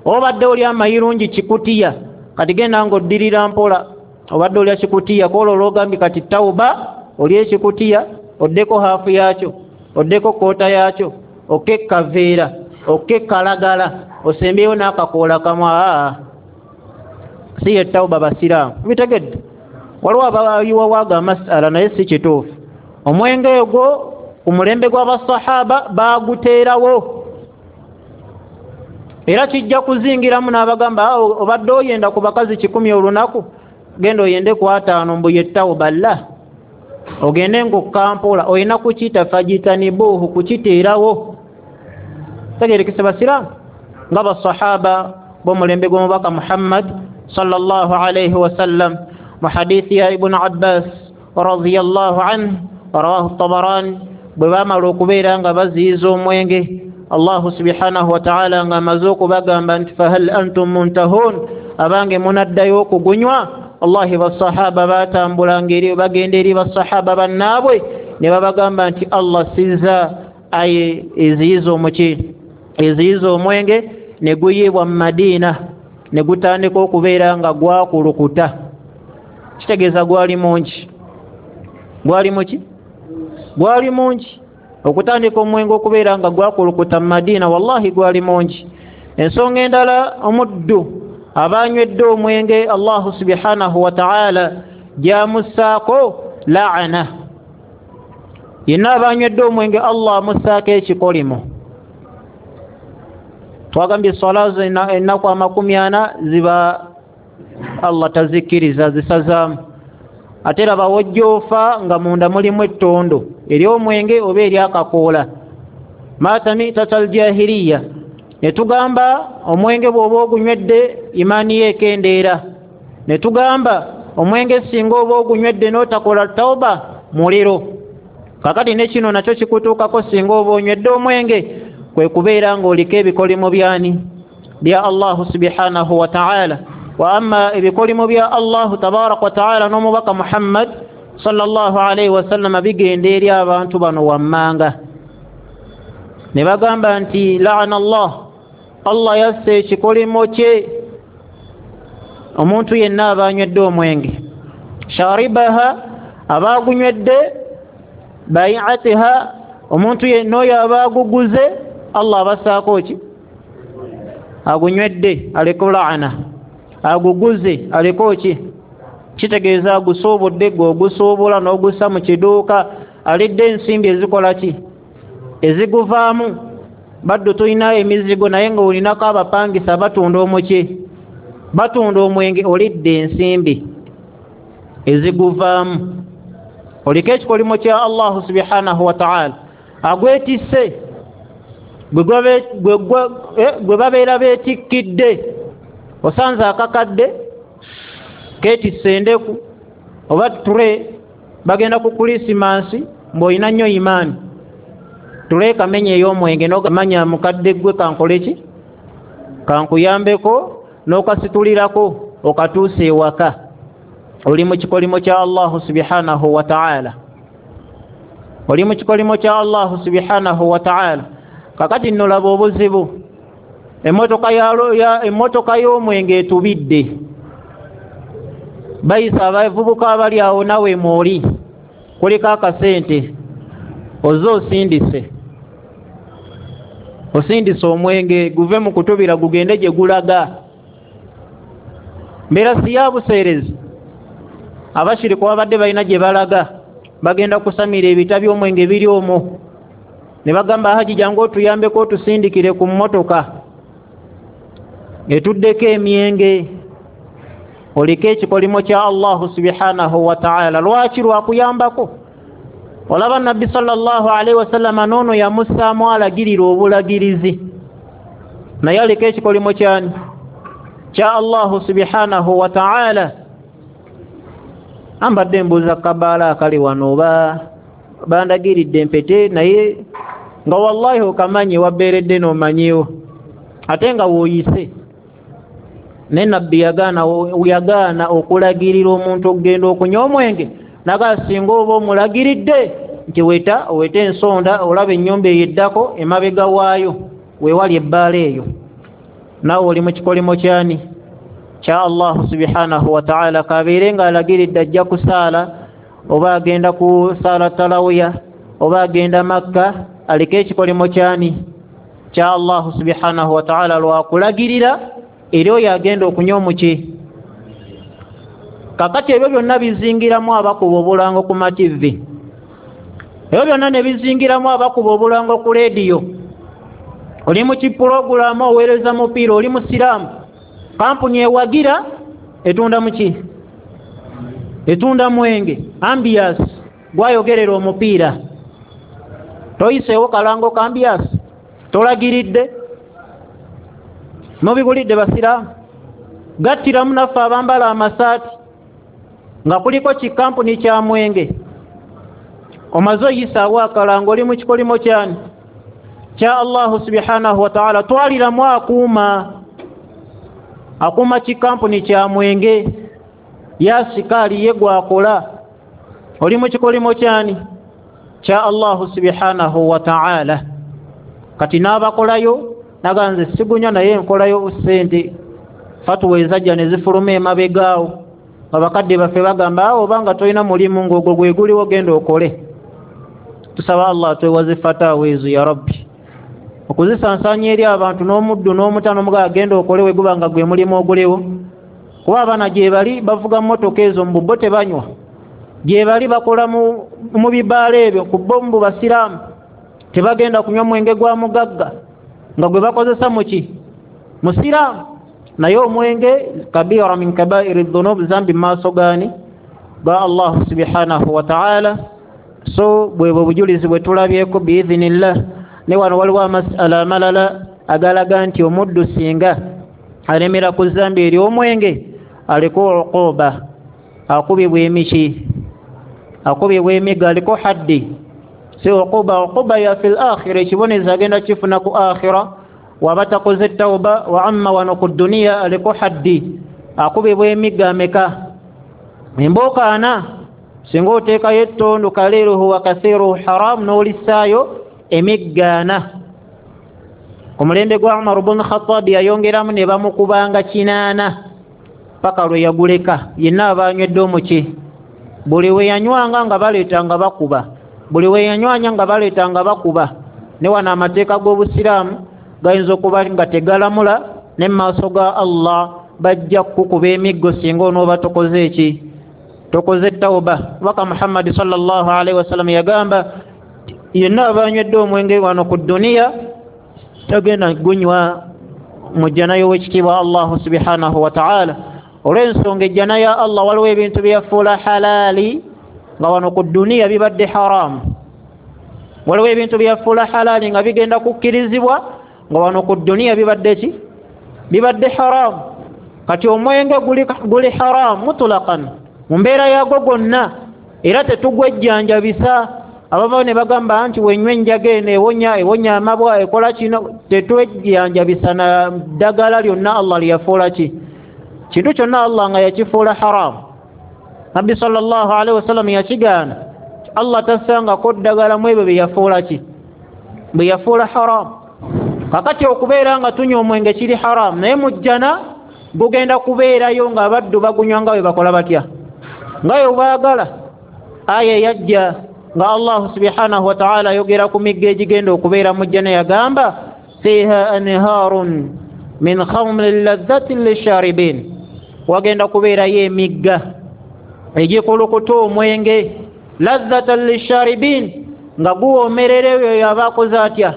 obadde olya amayirungi kikutiya, kati genda ng'oddirira mpola. Obadde olya kikutiya, kwolwo olwogambye kati tawuba, olya ekikutiya oddeko haafu yaakyo, oddeko koota yaakyo, okke kaveera, okke kalagala, osembyeyo n'akakoola kamu. Aa, si ye tawuba basiraamu, bitegedde. Waliwo abayiwawaaga amasala, naye si kituufu. Omwenge ogwo ku mulembe gw'abasahaba baaguteerawo, era kijja kuzingiramu n'abagamba obadde oyenda ku bakazi 100 olunaku, genda oyende ku 50 mbu ye tawuba. La, ogende ng'okkampola, olina kukiyita fajitanibuuhu, kukiteerawo. Tegerekese basiraamu, nga basahaba b'omulembe gw'omubaka Muhammad sallallahu alaihi wasallam. Mu hadithi ya Ibunu Abbas radiyallahu anhu, rawahu Tabarani, bwe baamala okubeera nga baziyiza omwenge, Allahu subhanahu wataala ng'amaze okubagamba nti fahal antum muntahun, abange munaddayo okugunywa? Wallahi basahaba batambulanga eri bagenda eri basahaba bannaabwe ne babagamba nti Allah sizza aye eziyiza omuki, eziyiza omwenge, ne guyiibwa mu Madiina, ne gutandika okubeera nga gwakulukuta. Kitegeeza gwali mungi, gwali muki, gwali mungi. Okutandika omwenge okubeera nga gwakulukuta mu Madiina, wallahi gwali mungi. Ensonga endala, omuddu abanywedde omwenge, Allahu subhanahu wataala gyamussaako laana. Yenna abanywedde omwenge Allah amussaako ekikolimo. Twagambye swala zo ennaku 40 ziba Allah tazikkiriza, zisazaamu. Ate raba wojja ofa nga munda mulimu ettondo ery'omwenge oba eryakakoola, maata mitata aljahiriya. Ne tugamba omwenge bw'oba ogunywedde imaani ye ekendeera. Ne tugamba omwenge singa oba ogunywedde n'otakola tawuba, muliro. Kakati ne kino nakyo kikutuukako singa oba onywedde omwenge, kwe kubeera ng'oliko ebikolimo byani? Bya Allahu subhanahu wa ta'ala. Wa amma ebikolimo bya Allahu tabaraka wa ta'ala n'omubaka Muhammad sallallahu alaihi wasallama bigenda eri abantu bano wammanga. Ne bagamba nti laana Allah, Allah yassa ekikolimo kye omuntu yenna aba anywedde omwenge, sharibaha, aba agunywedde, baiatiha, omuntu yenna oyo aba aguguze, Allah abassaako ki? Agunywedde aleko laana, aguguze aleko ki? Kitegeeza agusuubudde, gwe ogusuubula n'ogussa mu kiduuka, alidde ensimbi ezikola ki? Eziguvaamu. Baddu tulina emizigo, naye nga olinako abapangisa batunda omuki, batunda omwenge, olidde ensimbi eziguvaamu, oliko ekikolimo kya Allahu subhanahu wa ta'ala. Agwetisse gwe babeera beetikkidde, osanze akakadde keetisse endeku oba ture, bagenda ku Krisimansi, mbw'olina nnyo imaani, ture kamenya ey'omwenge n'ogamanya mukadde gwe kankole ki, kankuyambeko, n'okasitulirako okatuusa ewaka, oli mu kikolimo kya Allahu subhanahu wa ta'ala, oli mu kikolimo kya Allahu subhanahu wa ta'ala. Kakati nno laba obuzibu, emmotoka y'omwenge etubidde, bayisa abavubuka abali awo, nawe mwoli kuliko akasente, ozze osindise omwenge guve mu kutubira gugende gye gulaga. Mbeera si ya buseerezi, abashiriku babadde balina gye balaga, bagenda kusamira ebita by'omwenge biri omwo, ne bagamba haji jangu otuyambeko otusindikire ku mmotoka etuddeko emyenge, oliko ekikolimo kya Allahu subhanahu wa ta'ala. Lwaki? Lwakuyambako. Olaba Nabbi sallallahu alaihi wasallama noono yamussaamu alagirira obulagirizi, naye aliko ekikolimo kyani? Kya Allahu subhanahu wa ta'ala. Ambadde mbuuza kabaala akali wano oba bandagiridde empete, naye nga wallahi okamanyi wabeeredde n'omanyiwo ate nga wooyise. Naye Nabbi yagaana okulagirira omuntu okugenda okunywa omwenge, naga singa oba omulagiridde nti weta owete ensonda olaba ennyumba eyo eddako emabega waayo weewali ebbaala eyo, naawe oli mu kikolimo kyani? Kya Allahu subhanahu wa ta'ala. Kabeere ng'alagiridde ajja kusaala oba agenda kusaala talawiya oba agenda Makka, aliko ekikolimo kyani? Kya Allahu subhanahu wa ta'ala, lwakulagirira eri oyo agenda okunywa omuki. Kakati ebyo byonna bizingiramu abakuba obulango ku mativi, ebyo byonna ne bizingiramu abakuba obulango ku leediyo. Oli mu kipulogulaamu oweereza mupiira, oli musiraamu, kampuni ewagira etunda muki? Etunda mwenge, ambias gwayogerera omupiira. Toyiseewo kalango ka ambias, tolagiridde, mubigulidde basiraamu. Gattiramu naffe abambala amasaati nga kuliko kikampuni kya mwenge, omaze oyisaawo akalango, oli mu kikolimo kyani? Kya Allahu subhanahu wa ta'ala. Twaliramu akuuma kikampuni kya mwenge, yasikaali ye gwakola, oli mu kikolimo kyani? Kya Allahu subhanahu wa ta'ala. Kati n'abakolayo naga nze sigunywa naye nkolayo ssente, fatuwa ezajja ne zifuluma emabegaawo. Abakadde baffe bagamba awo obanga tolina mulimu ng'ogwo gwe guliwo genda okole. Tusaba Allah atwewaze fatawa ezo ya Rabbi, okuzisansaanya eri abantu n'omuddu n'omuta n'omugaa agenda okole we guba nga gwe mulimu oguliwo. Kuba abaana gye bali bavuga mmotoka ezo mbu bo tebanywa, gye bali bakola mu bibaala ebyo ku bo mbu basiraamu tebagenda kunywa mwenge gwa mugagga nga gwe bakozesa muki? Musiraamu. Naye omwenge kabira min kabairi dhunub, zambi maaso gaani? Ga Allahu subhanahu wa ta'ala. So bwebwe obujulizi bwe tulabyeko biidhinillah. Ne wano waliwo amasala amalala agalaga nti omuddu singa alemera ku zambi eri omwenge aliko uquba, akubibwa emiki, akubibwa emiggo, aliko haddi. Si uquba, uquba ya fil akhira, ekibonerezo agenda kifuna ku akhira waba takoze tauba. Wa amma wano ku duniya aliko haddi, akubibwa emiggo ameka? Embooka ana. Singa oteekayo ettondo kaliruhu wa kathiruhu haram n'olissaayo emiggo ana. Ku mulembe gwa Umar ibn Khattab yayongeramu ne bamukubanga 8 paka lwe yaguleka. Yenna aba anywedde omuki, buli we yanywanga nga baleeta nga bakuba, buli we yanywanya nga baleeta nga bakuba. Ne wano amateeka g'obusiraamu gayinza okuba nga tegalamula, ne mu maaso ga Allah bajja kukuba emiggo singa onooba tokoze eki? Tokoze tauba. Baka Muhammad sallallahu alaihi wasallam yagamba yenna aba anywedde omwenge wano ku duniya tagenda gunywa mu jjana y'owekitiibwa Allahu subhanahu wa ta'ala. Olw'ensonga ejjana ya Allah waliwo ebintu bye yafuula halaali nga wano ku duniya bibadde haramu, waliwo ebintu bye yafuula halaali nga bigenda kukkirizibwa nga wano ku duniya bibadde ki? Bibadde haramu. Kati omwenge guli haramu mutlaqan mu mbeera yaagwo gwonna, era tetugwejjanjabisa. Abavayo ne bagamba nti wenywa enjaga eno ewonya amabwa ekola kino, tetwejjanjabisa na ddagala lyonna Allah lye yafuula ki? Kintu kyonna Allah nga yakifuula haramu. Nabbi sallallahu alaihi wasallam yakigaana, Allah tassangako ddagala mu ebyo bye yafuula ki? Bye yafuula haramu. Kakati okubeera nga tunywa omwenge kiri haramu, naye mu jjana gugenda kubeerayo ng'abaddu bagunywa nga bwe bakola batya? Nga bwe baagala. Aya eyajja nga Allah subhanahu wa ta'ala ayogera ku migga egigenda okubeera mu jjana yagamba fiha anharun min khamrin ladhatin lisharibin, wagenda kubeerayo emigga egikulukuta omwenge ladhatan lisharibin, nga guwoomerera oyo aba akoze atya?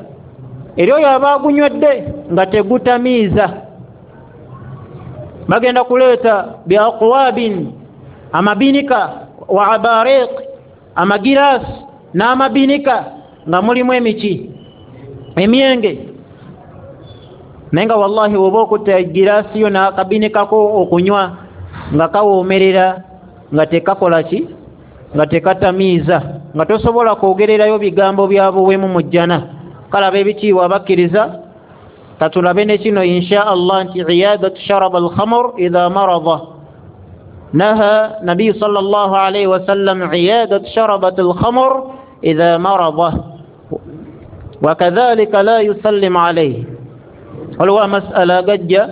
Eri oyo aba agunywedde nga tegutamiiza. Bagenda kuleeta biaqwabin, amabinika, wa abariq, amagirasi N'amabinika nga mulimu emiki emyenge, naye nga wallahi woba okutta egiraasi yo n'akabinikako okunywa nga kawoomerera, nga tekakola ki, nga tekatamiiza, nga tosobola kwogererayo bigambo bya buwemu mu jjana. Kale ab'ebitiibwa abakkiriza, katulabe ne kino insha Allah nti iyadatu sharaba alkhamr idha marada. Naha nabiyu sallallahu alayhi wasallam iyadat sharabat alkhamr idha marada wakadhalika la yusallim alayhi. Waliwo amasala agajja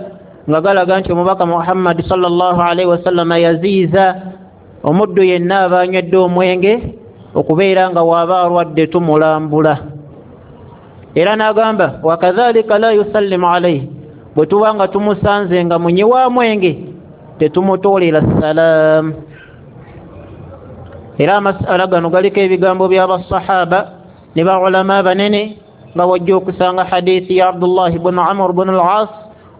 nga galaga nti omubaka Muhammad sallallahu alayhi wasallam yaziiza omuddu yenna aba anywedde omwenge okubeera nga waaba alwadde tumulambula. Era n'agamba wakadhalika la yusallimu alayhi, bwe tuba nga tumusanze nga munyi wa mwenge tetumutoolera salaamu. Era amasala gano galiko ebigambo by'abasahaba ne baulama banene, nga wajja okusanga hadithi ya Abdullah ibn Amr ibn al-As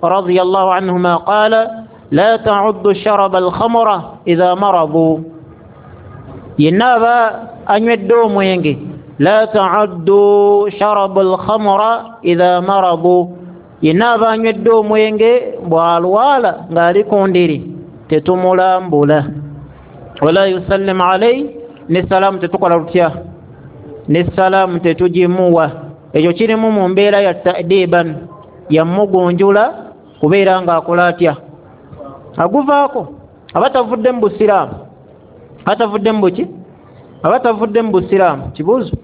radiyallahu anhuma qala la ta'uddu sharaba al-khamra idha maradu. Yenna aba anywedde omwenge, la ta'uddu sharaba al-khamra idha maradu, yenna aba anywedde omwenge bw'alwala ng'ali ku ndiri tetumulambula. Wala yusallim alayhi, ne salaamu tetukola lutya, ne salaamu tetugimuwa. Ekyo kirimu mu mbeera ya ta'diban, yamugunjula kubeera ng'akola atya, aguvaako. Aba tavudde mu busiraamu, atavudde mu buki, aba tavudde mu busiraamu. Kibuuzo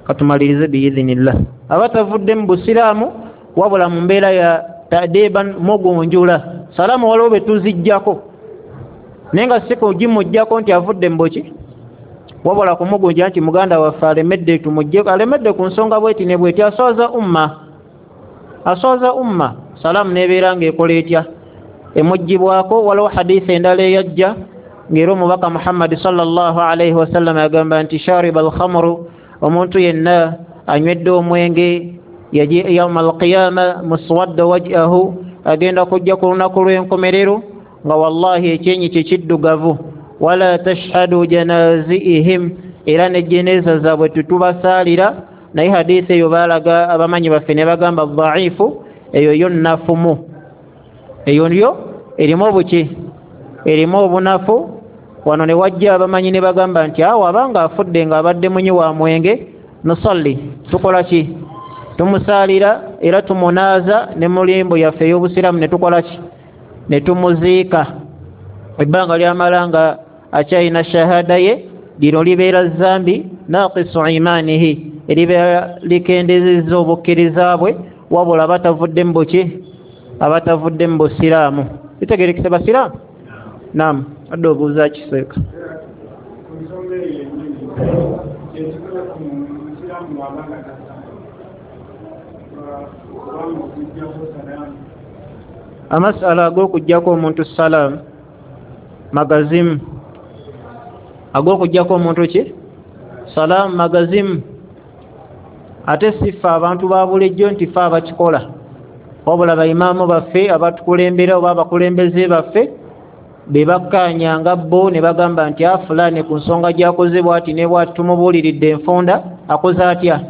katumalirize biidhinillah. Aba tavudde mu busiraamu wabula mu mbeera ya ta'diban, mugunjula. Salaamu waliwo be tuziggyako, naye nga si kugimuggyako nti avudde mu buki, wabula kumugunja nti muganda waffe alemedde, tumuggyeko, alemedde ku nsonga bweti ne bweti, aswaza umma, aswaza umma. Salaamu nebeera ng'ekola etya, emuggyibwako. Waliwo hadithi endala eyajja ng'era omubaka Muhammad sallallahu alayhi wasallam agamba nti shariba alkhamru, omuntu yenna anywedde omwenge yaji yauma alqiyama muswadda wajhahu, agenda kujja ku lunaku lw'enkomerero nga wallahi ekyenyi kye kiddugavu. Wala tashhadu janaziihim, era ne jeneza zaabwe tetubasaalira. Naye hadithi eyo baalaga abamanyi baffe ne bagamba dhaifu, eyo yo nnafumu, eyo yo erimu obuki, erimu obunafu. Wano ne wajja abamanyi ne bagamba nti awo abanga afudde ng'abadde munyi wa mwenge, nusalli, tukola ki, tumusaalira era tumunaaza ne mulimbo yaffe ey'obusiraamu ne tukola ki, ne tumuziika. Ebbanga lyamala nga akyalina shahada ye, lino libeera zambi naqisu imanihi, eribeera likendezezza obukkiriza bwe, wabula abatavudde mu buki, abatavudde mu busiraamu. Bitegerekese basiraamu? Naam, adde obuuza kiseeka. Amasala ag'okuggyako omuntu salaamu magazimu, ag'okuggyako omuntu ki salaamu magazimu. Ate si ffe abantu ba bulijjo nti ffe abakikola, wabula baimaamu baffe abatukulembera oba abakulembeze baffe be bakkaanyanga bo ne bagamba nti a fulani ku nsonga gy'akoze bw'ati ne bw'ati tumubuuliridde enfunda, akoze atya,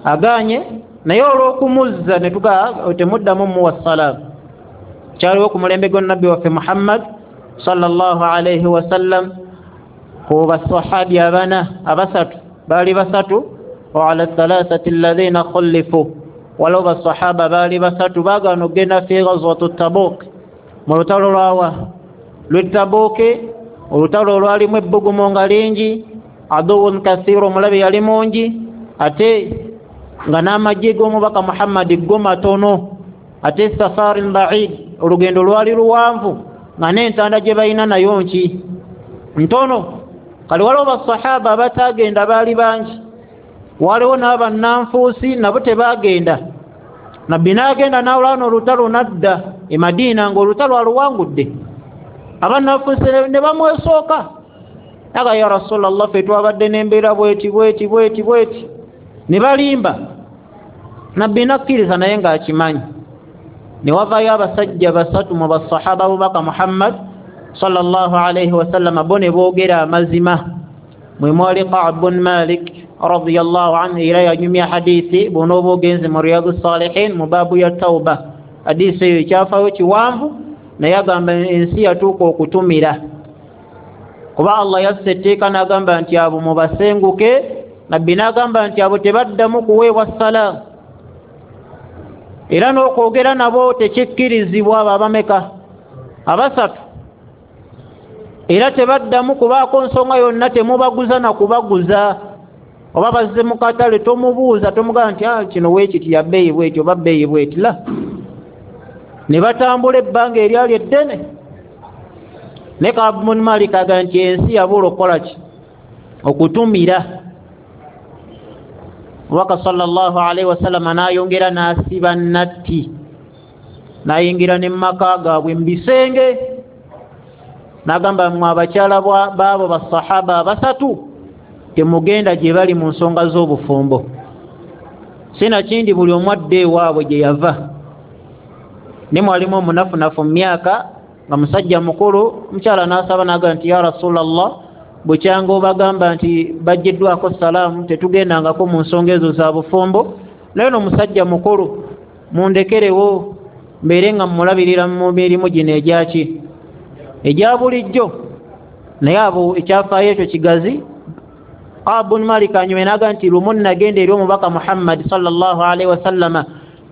agaanye. Naye olw'okumuzza ne tugaa temuddamu muwa salaamu. Kyaliwo ku mulembe gwa nabbi waffe Muhammad sallallahu alayhi wasallam ku basahabi abana abasatu, baali basatu, wa ala thalathati alladhina khulifu, waliwo basahaba baali basatu baagaana okugenda fi ghazwatu Tabuk, mu lutalo lwawa lw'e Tabuki, olutalo olwalimu ebbugumu nga lingi, aduwun kathiru, omulabe yali mungi, ate nga n'amagye g'omubaka Muhammad go matono, ate safarin ba'id, olugendo lwali luwanvu, nga n'entanda gye balina nayo nki ntono. Kale waliwo basahaba abatagenda baali bangi, waliwo n'abannanfuusi nabo tebaagenda. Nabbi n'agenda n'alwana olutalo n'adda e Madiina ng'olutalo aluwangudde, abannanfuusi ne bamwesooka, aga ya Rasulallah, ffe twabadde n'embeera bweti bweti bweti bweti, ne balimba. Nabbi n'akkiriza naye ng'akimanyi. Ne wavaayo abasajja basatu mu basahaba b'omubaka Muhammad sallallahu alayhi wasallam, bo ne boogera amazima. Mwe mwali Ka'b bun Malik radiyallahu anhu, era yanyumya hadithi bw'onooba ogenze mu Riyadu Salihin mu baabu ya Tauba. Hadithi eyo ekyafaayo kiwanvu, naye agamba ensi yatuuka okutumira, kuba Allah yassa etteeka n'agamba nti abo mubasenguke. Nabbi n'agamba nti abo tebaddamu kuweebwa salaamu, era n'okwogera nabo tekikkirizibwa. Abo abameka? Abasatu. Era tebaddamu kubaako nsonga yonna, temubaguza na kubaguza. Oba bazze mu katale, tomubuuza, tomugamba nti kino weekiti ya bbeeyi bweti oba bbeeyi bweti, la. Ne batambula ebbanga eryali eddene. Ne Ka'b bun Malik agamba nti ensi yabula okukola ki? Okutumira. Omubaka sallallahu alaihi wasallama n'ayongera n'asiba natti, n'ayingira ne mumaka gaabwe mu bisenge, n'agamba mmwe abakyala baabo basahaba abasatu temugenda gye bali mu nsonga z'obufumbo, sinakindi buli omu adde ewaabwe gye yava. Ne mwalimu omunafunafu mu myaka nga musajja mukulu, omukyala n'asaba n'agamba nti ya Rasulallah, bukyanga obagamba nti bajjiddwako salaamu, tetugendangako mu nsonga ezo za bufumbo, naye no musajja mukulu mundekerewo mbeere nga mmulabirira mu mirimu gino egyaki egya bulijjo. Naye abo ekyafaayo ekyo kigazi. Ka'b bun Malik anyume n'agamba nti lumu nagenda eri omubaka Muhammad sallallahu alaihi wasallama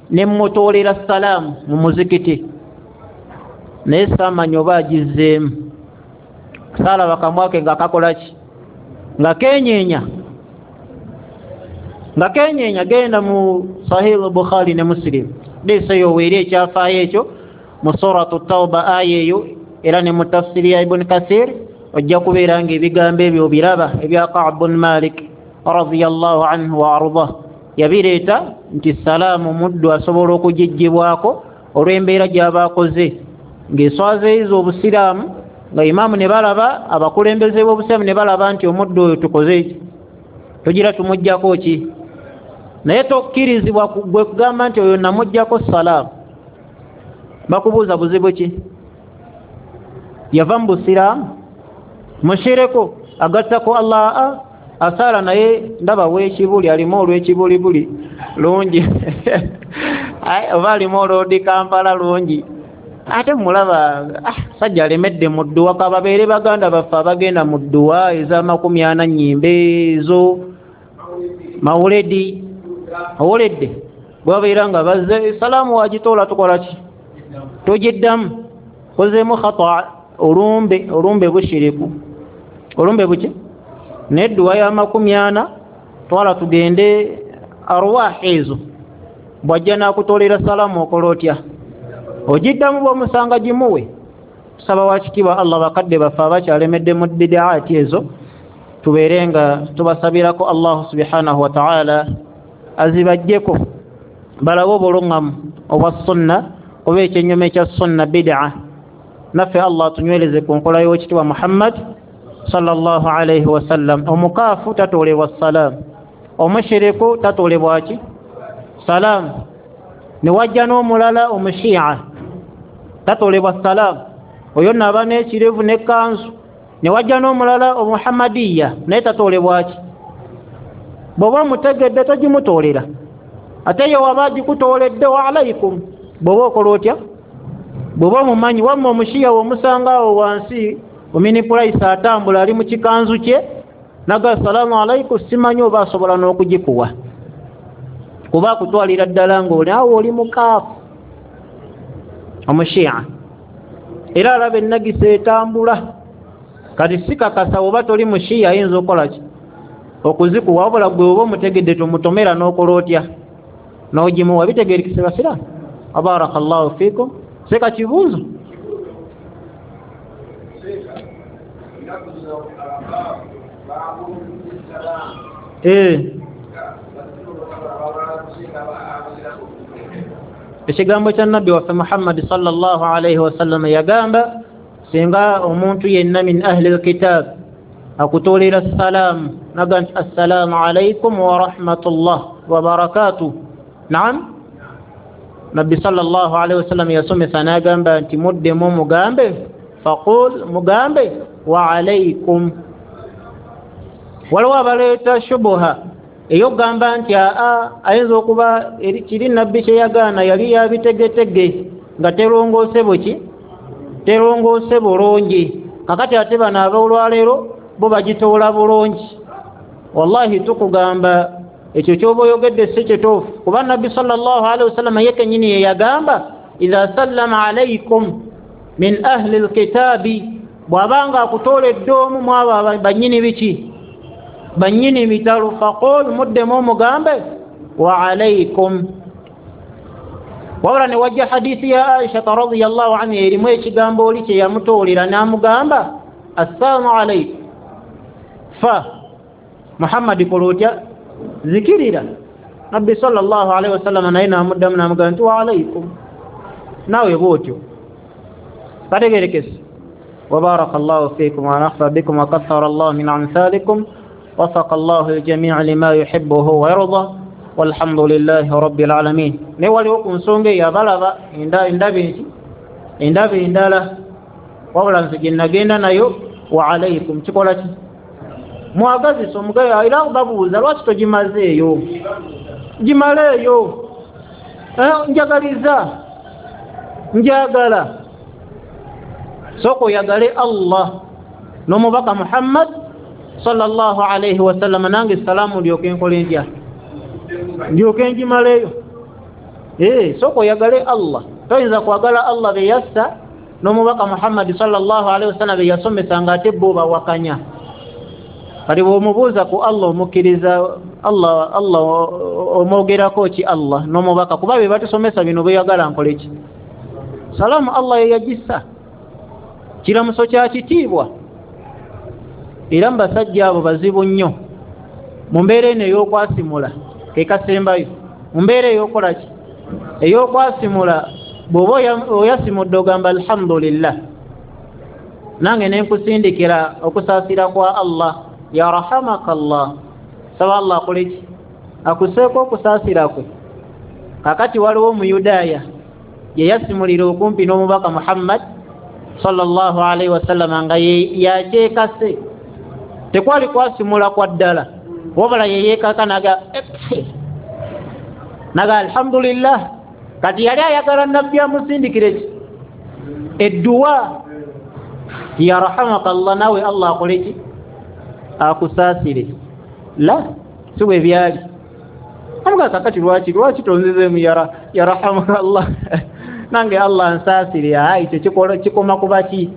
ne mmutoolera salaamu mu muzikiti, naye saamanya oba agizzeemu. Saalaba kamwake nga kakola ki? Nga kenyeenya, nga kenyeenya. Genda mu Sahih Bukhari ne Muslim, hadiisi eyo weeri ekyafaayo ekyo mu Suratu Tauba aya eyo, era ne mu tafsiri ya Ibn Kathir ojja kubeera nga ebigambo ebyo obiraba ebya Ka'b bun Malik radiyallahu anhu wa ardah. Yabireeta nti salaamu muddu asobola okugiggyibwako olw'embeera gy'aba akoze ng'eswazeeyiza obusiraamu, nga imaamu ne balaba, abakulembeze b'obusiraamu ne balaba nti omuddu oyo tukoze tugira tumuggyako ki. Naye tokkirizibwa gwe kugamba nti oyo namuggyako salaamu. Bakubuuza buzibu ki? Yava mu busiraamu? Mushiriku agattako Allah asaala, naye ndaba w'ekibuli alimu olw'ekibulibuli lungi oba alimu olw'odi Kampala lungi, ate mulaba sajja alemedde mu dduwa. Kababeere baganda baffe abagenda mu dduwa ez'amakumi ana nnyimbe ezo mawuledi owuledde, bwe babeera nga bazze salaamu wagitoola tukola ki? Tugiddamu. Kozeemu khata, olumbe, olumbe bushiriku, olumbe buki? Nedduwa ya 40 twala tugende arwah ezo. Bw'ajja n'akutoolera salaamu okola otya? Ogiddamu. Bw'omusanga gimuwe. Tusaba wakitiibwa Allah bakadde baffe abakyalemedde mu bidaati ezo tubeere nga tubasabirako Allahu subhanahu wa ta'ala azibajjeko, balabe obuluŋŋamu obwa sunna, oba ekyennyuma ekya sunna bidaa. Naffe Allah tunywereze ku nkola y'owekitiibwa Muhammad sallallahu alaihi wasallam. Omukaafu tatoolebwa salaamu, omushiriku tatoolebwa ki? Salaamu. Ne wajja n'omulala omushiya tatoolebwa salaamu, oyo nno aba n'ekirevu n'ekkanzu. Ne wajja n'omulala omuhammadiya naye tatoolebwa ki? Bw'oba omutegedde togimutoolera, ate ye waba agikutooledde wa alaikum. Bw'oba okola otya? Bw'oba omumanyi. Wamma omushiya w'omusanga awo wansi ominipulaisi atambula ali mu kikanzu kye naga assalaamu alaikum, simanyi oba asobola n'okugikuwa, kuba akutwalira ddala ng'oli awo oli mukaafu omushiya, era alaba ennagisa etambula. Kati sikakasa oba toli mushiya ayinza okukola ki? Okuzikuwa. Wabula gwe oba omutegedde tomutomera n'okola otya? N'ogimuwa. Bitegeerekese basiraamu? Abaraka llahu fiikum. Seka kibuuzo. Ekigambo kya nabbi waffe Muhammadi sallallahu alaihi wasallam yagamba, singa omuntu yenna min ahli lkitab akutoolera salaamu naga nti assalaamu alaikum warahmatullah wabarakatuh. Naam, nabbi sallallahu alaihi wasallam yasomesa n'agamba nti muddemu mugambe, faqul, mugambe wa alaikum. Waliwo abaleeta shubuha ey'okugamba nti aa ayinza okuba kiri nabbi kye yagaana yali yabitegetege nga terongoose buki, terongoose bulungi. Kakati ate bano ab'olwaleero bo bagitoola bulungi. Wallahi tukugamba ekyo kyoba oyogedde si kituufu, kuba nabbi sallallahu alaihi wasallam ye kennyini ye yagamba idha sallama alaikum min ahli lkitaabi, bw'abanga akutooledde omu mu abo bannyini biki, bannyini mitalo, faqul, muddemu omugambe wa alaikum. Wabula ne wajja hadithi ya Aisha radhiyallahu anha erimu ekigambo oli kye yamutoolera n'amugamba assalamu alaikum, fa Muhammadi kola otya, zikirira. Nabbi sallallahu alaihi wasallam naye n'amuddamu n'amugamba nti wa alaikum, naawe bw'otyo. Kategerekese. وبارك الله فيكم ونفع بكم وكثر الله من أمثالكم، وفق الله الجميع لما يحبه ويرضى، والحمد لله رب العالمين. Ne waliwo ku nsonga eyo abalaba endaba endala, wabula nze gye nagenda nayo wa alaikum kikola ki, mwagazisa omugayo. Era babuuza lwaki togimazeeyo, gimaleeyo, njagaliza, njagala. Sooka oyagale Allah n'omubaka Muhammad sallallahu alaihi wasallam, nange salaamu ndyoke nkole ntya, ndyoke ngimaleyo. Sooka oyagale Allah. Toyinza kwagala Allah be yassa n'omubaka Muhammad sallallahu alaihi wasallam be yasomesa nga ate bo bawakanya. Kati bw'omubuuza ku Allah omukkiriza Allah, Allah omwogerako ki Allah n'omubaka, kuba be batusomesa bino beyagala nkole ki. Salaamu Allah ye yagissa, kiramuso kya kitiibwa. Era mu basajja abo bazibu nnyo mu mbeera eno ey'okwasimula, ke kasembayo mu mbeera ey'okola ki, ey'okwasimula. Bw'oba oyasimudde ogamba alhamdulillah, nange ne nkusindikira okusaasira kwa Allah, ya rahamaka Allah, saba Allah akole ki, akuseeko okusaasira kwe. Kakati waliwo omuyudaaya ye yasimulira okumpi n'omubaka Muhammad sallallahu alaihi wasallam nga yakyekase, tekwali kwasimula kwa ddala, wabula yeyeekaka naga alhamdulillah. Kati yali ayagala nabbi amusindikire ki, edduwa, ya rahamaka Allah, nawe Allah akole ki, akusaasire. La, si bwe byali. Amuga kakati lwaki tonzizeemu ya rahamaka Allah nange Allah nsaasire. Ayi ekyo kikoma ku baki,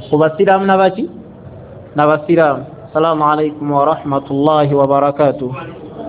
ku basiraamu nabaki, n'abasiraamu. Assalamu alaikum warahmatullahi wabarakatuh.